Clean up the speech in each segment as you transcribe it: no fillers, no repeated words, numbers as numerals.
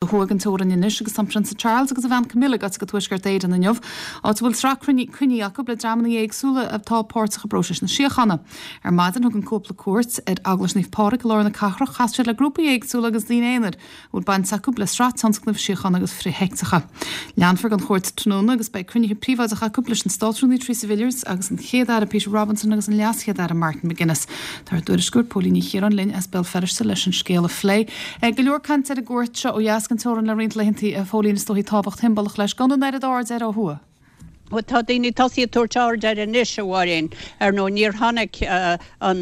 Thuaidh den teorainn anois agus tá an Prionsa Charles agus a bhean Camilla gaite go Tuaisceart Éireann inniu, áit a bhfuil sraith cruinní acu le dreamanna éagsúla atá páirteach i bpróiseas na síochána. Ar maidin thug an cúpla cuairt ar Eaglais Naomh Pádraig i lár na cathrach, chas siad le grúpaí éagsúla agus daoine aonair a bhfuil baint acu le sraith tionscnaimh síochána agus frith-sheicteacha. Leanfar den chuairt tráthnóna agus beidh cruinnithe príobháideacha acu leis an Státrúnaí Theresa Villiers agus an Chéad-Aire Peter Robinson agus an LeasChéad-Aire Martin McGuinness. Tá ár dtuairisceoir Póilín Ní Chiaráin linn as Béal Feirste leis an scéal a phlé. Go leor cainte ar an gcuairt seo ó dheas den teorainn le roinnt laethanta, a Phóilín, is dóichí tábhacht shiombalach leis, gan an oiread airde air ó thuaidh. Bhuel, tá daoine tosaithe ag tabhairt aird air anois, a Mháirín. Ar ndóigh, níor tháinig an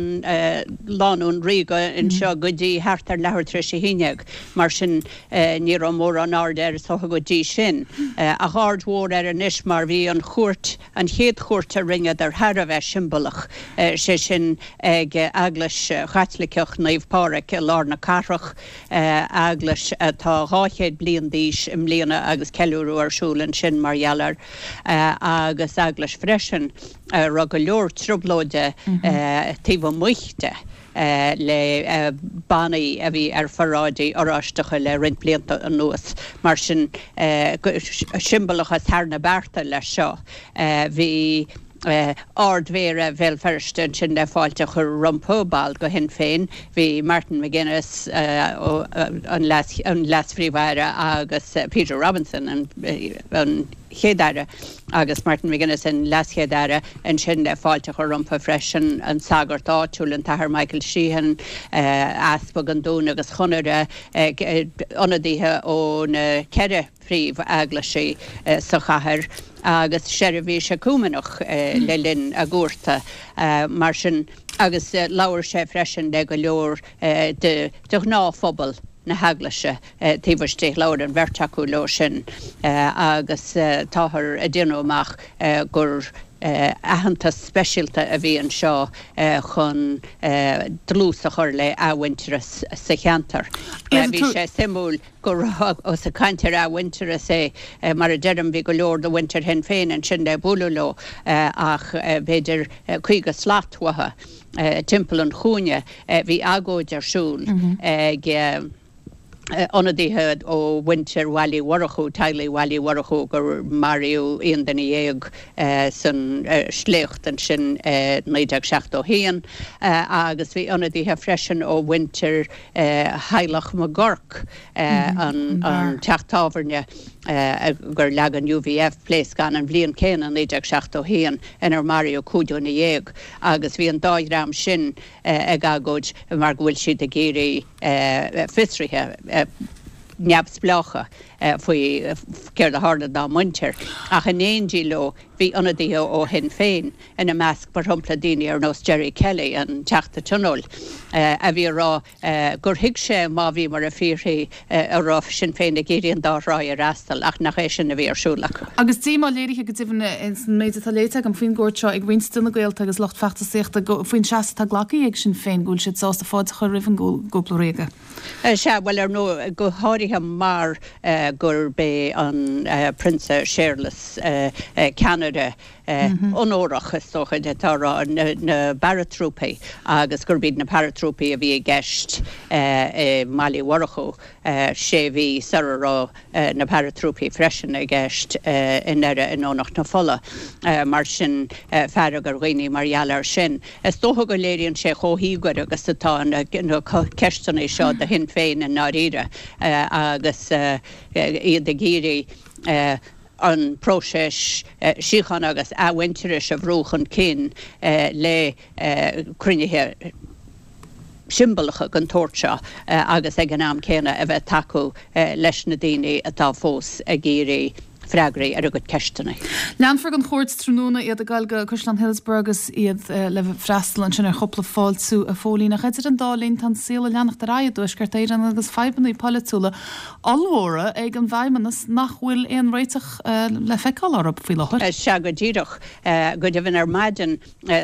lánúin ríoga anseo go dtí thart ar leathuair tar éis a haon dhéag. Mar sin, ní raibh mórán airde air is dócha go dtí sin. Ach aird mhór air anois mar bhí an chuairt An chéad chuairt a rinneadar thar a bheith siombalach, sé sin ag Eaglais Chaitliceach Naomh Pádraig i lár na cathrach, eaglais atá 200 bliain d'aois i mbliana agus ceiliúradh ar siúl ansin mar gheall air, agus eaglais freisin a raibh go leor trioblóide taobh amuigh de. le bannaí a bhí ar pharáidí oráisteacha le roinnt blianta anuas. Mar sin, siombalachas thar na bearta leis seo. Bhí Ard-Mhéara Bhéal Feirste ansin le fáilte a chur rompu, ball de Shinn Féin. Bhí Martin McGuinness, an Leas-Phríomh-Aire agus Peter Robinson, an Chéad-Aire, agus Martin McGuinness, an LeasChéad-Aire, ansin le fáilte a chur rompu freisin, an sagart áitiúil, an tAthair Michael Sheehan, Easpag an Dúin agus Chonaire, ionadaithe ó na ceithre phríomh-eaglaisí sa chathair, agus seirbhís eacúiméineach le linn a gcuarta. Mar sin, agus labhair sé freisin le go leor de ghnáthphobal na heaglaise taobh istigh. Labhair an bheirt acu leo sin agus táthar ag déanamh amach gur aitheantas speisialta a bhí anseo chun dlús a chur le athmhuintearas sa cheantar. Bhí sé suimiúil go raibh, ós ag caint ar athmhuintearas é, mar a deirim, bhí go leor de mhuintir Shinn Féin ansin le bualadh leo ach b'fhéidir 50 slat uathu, timpeall an chúinne, bhí agóid ar siúl ag ionadaithe ó mhuintir Bhaile Uí Mhurchú, teaghlaigh Bhaile Uí Mhurchú gur maraíodh 11 duine san sléacht ansin i 1971 agus bhí ionadaithe freisin ó mhuintir theaghlach McGurk, an teach tábhairne gur leag an UVF pléascán an bhliain céanna, 1971, inar maraíodh 15 dhuine agus bhí an dá dhream sin ag agóid mar go bhfuil siad ag iarraidh fiosruithe neamhspleácha faoi céard a tharla dá muintir. Ach in éindí leo bhí ionadaithe ó Shinn Féin ina measc, mar shampla daoine ar nós Gerry Kelly, an Teachta Tionóil, a bhí ag rá gur thuig sé má bhíomar ag fiafraí an raibh Sinn Féin ag iarraidh an dá thráigh a fhreastal ach nach é sin a bhí ar siúl acu. Agus díomá léirithe go deimhin san méid atá léite agam faoin gcuairt seo ag roinnt de na gaolta agus lucht feachtasaíochta faoin seasamh atá glactha ag Sinn Féin go bhfuil siad sásta fáilte a chur roimh an gcúpla ríoga. Sea, bhuel ar ndóigh, go háirithe mar gurb é an Prionsa Séarlas ceannaire onórach, is dócha, atá a rá, na bparatrúpaí agus gurb iad na paratrúpaí a bhí i gceist i mBaile Uí Mhurchú sé mhí sara raibh na paratrúpaí freisin i gceist i nDoire i nDomhnach na Fola. Mar sin, fearg ar dhaoine mar gheall air sin. Is dócha go léiríonn sé chomh híogair agus atá na ceisteanna seo do Shinn Féin i ndáiríre agus iad ag iarraidh an próiseas síochána agus athmhuintearais a bhrú chun cinn le cruinnithe siombalacha den tsórt seo agus ag an am céanna a bheith ag tacú leis na daoine atá fós ag iarraidh freagraí ar a gcuid ceisteanna. Leanfar den chuairt tráthnóna, iad ag dul go Caisleán Hillsborough agus iad le freastal ansin ar chúpla fáiltiú, a Phóilín. Ach idir an dá linn tá an saol ag leanacht ar aghaidh i dTuaisceart Éireann agus fadhbanna polaitiúla ollmhóra ag an bhFeidhmeannas nach bhfuil aon réiteach le feiceáil orthu faoi láthair. Sea, go díreach. Go deimhin ar maidin,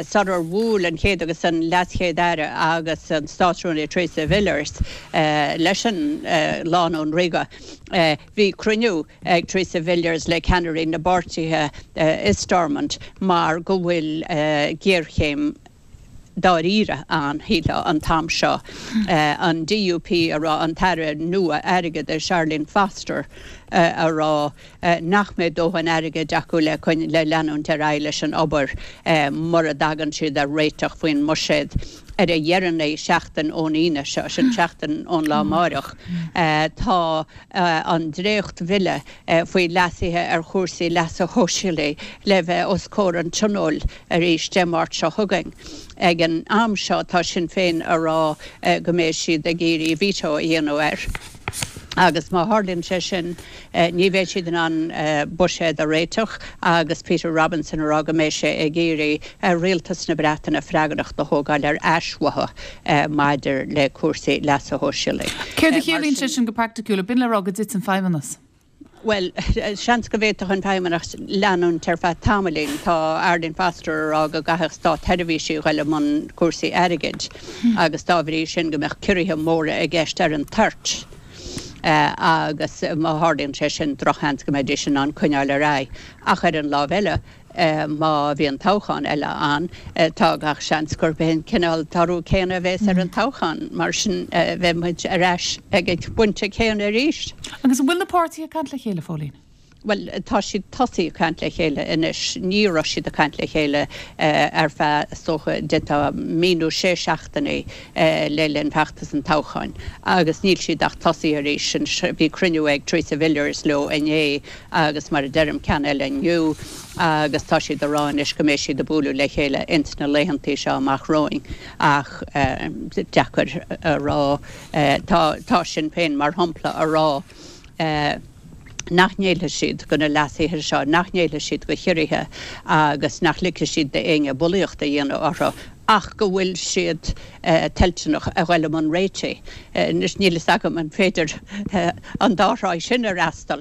sular bhuail an Chéad agus an LeasChéad-Aire agus an Státrúnaí Theresa Villiers leis an lánúin ríoga, bhí cruinniú ag Theresa Villiers le ceannairí na bpáirtithe i Stormont mar go bhfuil géarchéim. dáiríre ann, shílfeá, an t-am seo. An DUP a rá, an tAire nua Airgeadais, Arlene Foster, a rá nach mbeidh dóthain airgid acu le le leanúint ar aghaidh leis an obair mura dtagann siad ar réiteach faoin mbuiséad ar a dheireanaí seachtain ón Aoine seo, sin seachtain ón lá amáireach. Tá an dréacht-bhille faoi leasuithe ar chúrsaí leasa shóisialaigh le bheith os comhair an Tionóil arís Dé Máirt seo chugainn. Ag an am seo tá Sinn Féin a rá go mbeidh siad ag iarraidh veto a dhéanamh air agus má tharlaíonn sé sin ní bheidh siad in ann buiséad a réiteach agus Peter Robinson a rá go mbeidh sé ag iarraidh ar Rialtas na Breataine freagracht a thógáil ar ais uathu maidir le cúrsaí leasa shóisialaigh. Céard a chiallaíonn sé sin go praiticiúil? Ab in le rá go dtiteann Feidhmeannas? Bhuel, seans go bhféadfadh an Feidhmeannas leanúint ar feadh tamaillín. Tá Arlene Foster a rá go gcaithfeadh státsheirbhísigh a ghoil i mbun cúrsaí airgid agus dá bhrí sin go mbeadh ciorruithe móra i gceist ar an toirt agus má tharlaíonn sé sin drochsheans go mbeidís in ann coinneáil ar aghaidh. Ach ar an lámh eile, Má bhíonn toghchán eile ann, tá gach seans gurb é an cineál toradh céanna a bheas ar an toghchán. Mar sin, beidh muid ar ais ag an bpointe céanna arís. Agus an bhfuil na páirtithe ag caint le chéile, Phóilín? Bhuel, tá siad tosaithe ag caint le chéile anois. Ní raibh siad ag caint le chéile ar feadh, is dócha, d'fhéadfá mí nó sé seachtainí le linn feachtas an toghcháin. Agus níl siad ach tosaithe arís. Bhí cruinniú ag Theresa Villiers leo inné agus mar a deirim, ceann eile inniu agus tá siad a rá anois go mbeidh siad ag bualadh le chéile ins na laethantaí seo amach romhainn ach deacair a rá. Tá, tá Sinn Féin mar shampla a rá nach ngéillfidh siad go na leasuithe seo, nach ngéillfidh siad go chiorruithe agus nach ligfidh siad d'éinne bulaíocht a dhéanamh orthu. ach go bhfuil siad toilteanach a ghoil i mbun réitigh. Anois, níl fhios agam an féidir an dá thráigh sin a fhreastal,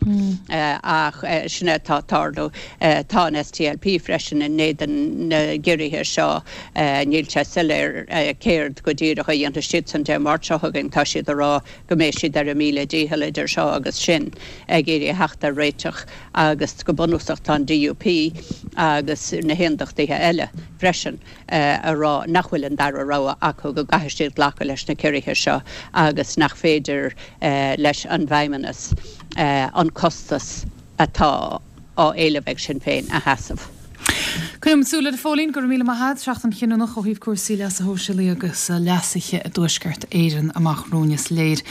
ach sin é atá ag tarlú. Tá an SDLP freisin in éadan na gciorruithe seo. Níl sé soiléir céard go díreach a dhéanfaidh siadsan Dé Máirt seo chugainn. Tá siad ag rá go mbeidh siad ar a míle dícheall idir seo agus sin ag iarraidh a theacht ar réiteach agus go bunúsach tá an DUP agus na hAondachtaithe eile freisin a rá nach bhfuil an dara rogha acu, go gcaithfidh siad glacadh leis na ciorruithe seo agus nach féidir leis an bhFeidhmeannas an costas atá á éileamh ag Sinn Féin a sheasamh. Coinneoidh muid súil air, a Phóilín. Go raibh míle maith agat. Seachtain chinniúnach ó thaobh cúrsaí leasa shóisialaigh agus leasaithe i dTuaisceart Éireann amach romhainn is léir.